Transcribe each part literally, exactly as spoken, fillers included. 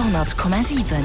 Radio honnert Komma siwen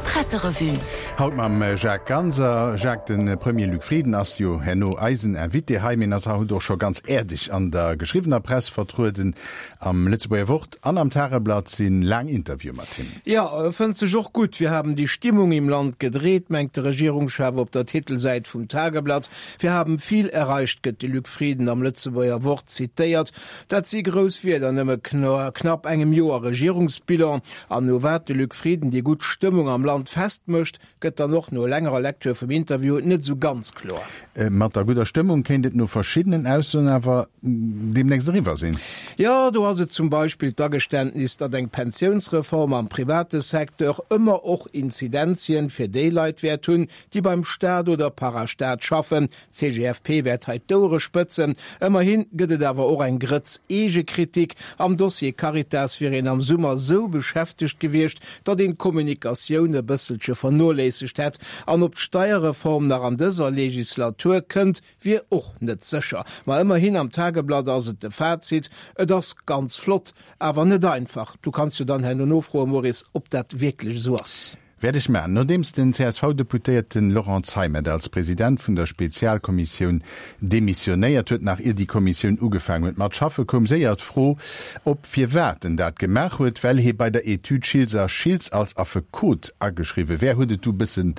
Presserevue. Haut mam Jacques Ganser. Jacques, de Premier Luc Frieden ass jo herno eisen Invité hei, mee en ass haut och scho ganz äerdeg an der geschriwwener Press vertrueden. Am Lëtzebuerger Wort an am Tageblatt si laang Interviewe mat him. Jo, e fënnt sech och gutt. Wir haben die Stimmung im Land gedreht, mengt de Regierungschef op der Titelsäit vum Tageblatt. Wir haben viel erreicht, gëtt de Luc Frieden am Lëtzebuerger Wort zitéiert. Dat si grouss Wierder no nëmme knapp engem Joer Regierungsbilan. An no wat de Luc Frieden déi gutt Stëmmung am Land festmécht, gëtt dann och no längerer Lektür vum Interview net esou ganz kloer. Mat der gudder Stëmmung kéint et no verschiddenen Aussoen awer deemnächst eriwwer sinn. Jo, do ass et zum Beispill d'Ageständnis, datt eng Pensiounsreform am private Secteur ëmmer och Inzidenzien fir déi Leit wäert hunn, déi beim Staat oder Parastaat schaffen. D'C G F P wäert hei d'Ouere spëtzen. Ëmmerhi gëtt et awer och eng Grëtz Eegekritik. Am Dossier Caritas wier een am Summer sou beschäftegt gewiescht, datt een d'Kommunikatioun e bësselche vernoléissegt hätt. An ob d'Steierreform nach an dëser Legislatur kënnt, wier och net sécher. Ma ëmmerhin am Tageblatt ass et de Fazit, Et ass ganz flott, awer net einfach. Du kanns jo dann herno nofroen, Maurice, ob dat wierklech esou ass. Wäert ech maachen. Nodeems den C S V-Deputéierten Laurent Zeimet als President vun der Spezialkommissioun demissionéiert huet, nach ier déi Kommissioun ugefaangen huet mat schaffe, koum séier d'Fro op, firwat en dat gemaach huet. Well hie bei der Etüd Schiltz a Schiltz als Affekot ageschriwwe wär, huet et du bëssen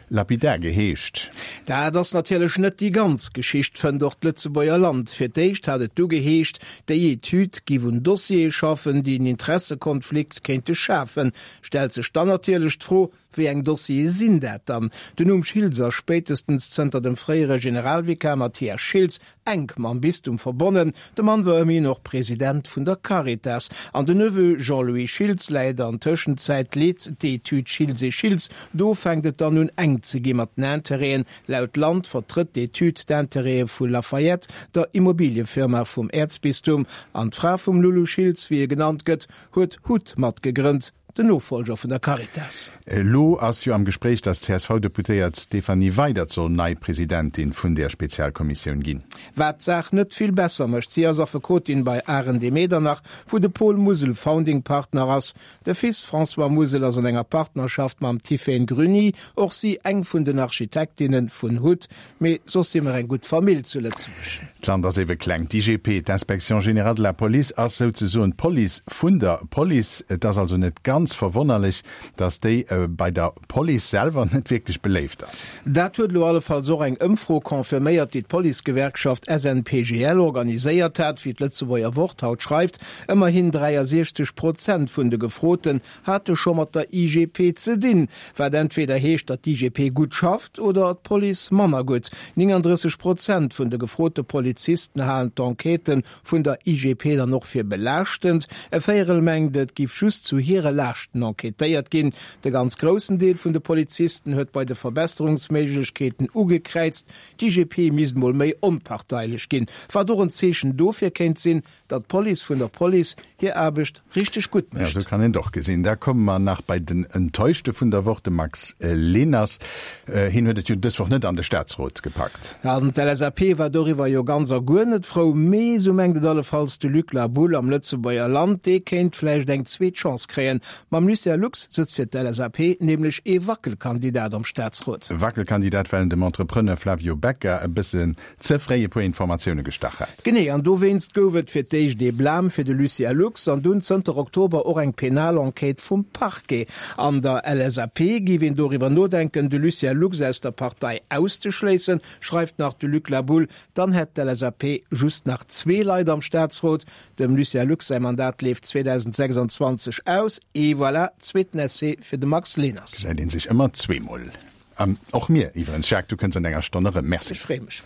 lapidar geheescht. Dat ass natierlech net déi ganz Geschicht, fënnt och d'Lëtzebuerger Land. Fir d'éischt hat et du geheescht, déi Etüd giff un Dossiere schaffen, déi en Interessekonflikt kéinte schafen. Stellt sech dann natierlech d'Fro, Wéi eng Dossiere sinn dat dann? Den Numm Schiltz ass spéitestens zënter dem fréiere Generalvikar Mathias Schiltz enk mam Bistum verbonnen. De Mann war ëmmerhin och President vun der Caritas. An den Neveu Jean-Louis Schiltz läit an Tëschenzäit leet d'Etüd Schiltz et Schiltz. Do fänkt et dann un enk ze gi mat den Interêten. Laut Land vertrëtt d'Etüd d'Interêtë vu Lafayette, der Immobiliëfirma vum Äerzbistum. An d'Fra vum Loulou Schiltz, wéi e genannt gëtt, huet hut matgegrënnt, den Nofollger vun der Caritas. Elo ass jo am Gespréich, datt d'C S V-Deputéiert Stéphanie Weydert soll nei Presidentin vun där Spezialkommissioun ginn. Wat d'Saach net vill besser mécht, si ass Affekotin bei Arendt Medernach, wou de Paul Musel Founding Partner ass. De Fils François Musel ass an enger Partnerschaft mam Tiphaine Gruny, och si eng vun den Architektinne vun hut. Mee soss si mer eng gutt Famill zu Lëtzebuerg. D'Land ass ebe kleng. D'I G P, d'Inspection générale de la police, ass souzesoen d'Police vun der Police. Et ass also net ganz verwonnerlech, datt déi bei der Police selwer net wierklech beléift ass. Dat huet elo allefalls och eng Ëmfro confirméiert, déi d'Policegewerkschaft S N P G L organiséiert hat, wéi d'Lëtzebuerger Wort haut schreift. Ëmmerhin dräiasechzeg Prozent vun de Gefroten hate scho mat der I G P ze dinn, wat entweder heescht, datt d'I G P gutt schafft oder d'Police manner gutt. Nénganddrësseg Prozent vun de gefrote Polizisten halen d'Enquêtë vun der I G P dann och fir belaaschtend. E Véierel mengt, et giff just zu hire Laaschten enquêtéiert ginn. De ganz groussen Deel vun de Polizisten huet bei de Verbesserungsméiglechkeeten ugekräizt, d'I G P misst mol méi onparteilech ginn, wat och en Zeechen dofir kéint sinn, datt d'Police vun der Police hir Aarbecht richteg gutt Ja, mécht. Esou kann een et och gesinn. Da komme mer nach bei den Enttäuschte vun der Woch, de Max Leners. Hien huet et jo dës Woch net an de Staatsrot gepackt. An d'L S A P war doriwwer jo ganz a guer net frou, mee, sou mengt et allefalls de Luc Laboulle am Lëtzebuerger Land, dee kéint vläicht eng zweet Chance kréien. Mam Lucien Lux sëtzt fir d'L S A P nämlech ee Wackelkandidat am Staatsrot. Wackelkandidat, well en dem Entrepreneur Flavio Becca e bëssen ze fréi e puer Informatioune gestach hat. Genee, an dowéinst gouf et fir d'éischt ee Blâme fir de Lucien Lux an dunn zënter Oktober och eng penal Enquête vum Parquet. An der L S A P géif een doriwwer nodenken, de Lucien Lux aus der Partei auszeschléissen, schreift nach de Luc Laboulle. Dann hätt d'L S A P just nach zwee Leit am Staatsrot. Dem Lucien Lux säi Mandat leeft zweedausendsechsanzwanzeg aus. Et voilà, zweeten Essai fir de Max Leners. Gesäit een sech ëmmer zweemol. An och mir iwwerens. Jacques, du kënns an enger Stonn erëm. Merci. Ech freeë mech.